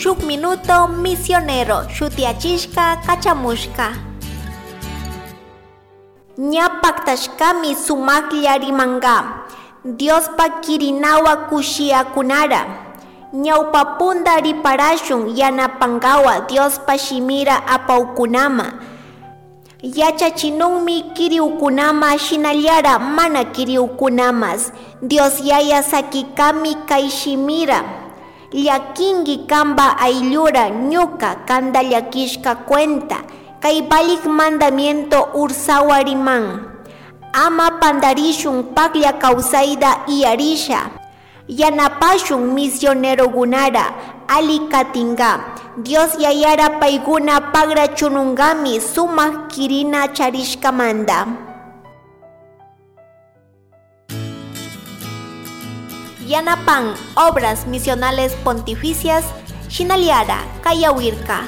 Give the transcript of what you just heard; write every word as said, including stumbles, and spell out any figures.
Shuk minuto misionero shutiachishka kachamushka. Ña paktashkami sumaklla rimanka Diospa kirinawa kushiyakunara. Ñawpa punta riparashun yanapankawa Diospa shimira apaukunama. Yachachinunmi kiriukunama shinallara mana kiriukunamas. Dios Yaya sakikami kay shimira. Llakinki kanpa ayllura ñuka kanta llakishka cuenta, kay valik mandamiento ursawa riman. Ama pantarishun paklla kawsayta iyarisha. Yanapashun misionerokunara ali katinka. Dios Yayara paykuna pagra chununkami sumak kirina charishkamanta. Yanapan Obras Misionales Pontificias shinallara kayawirka.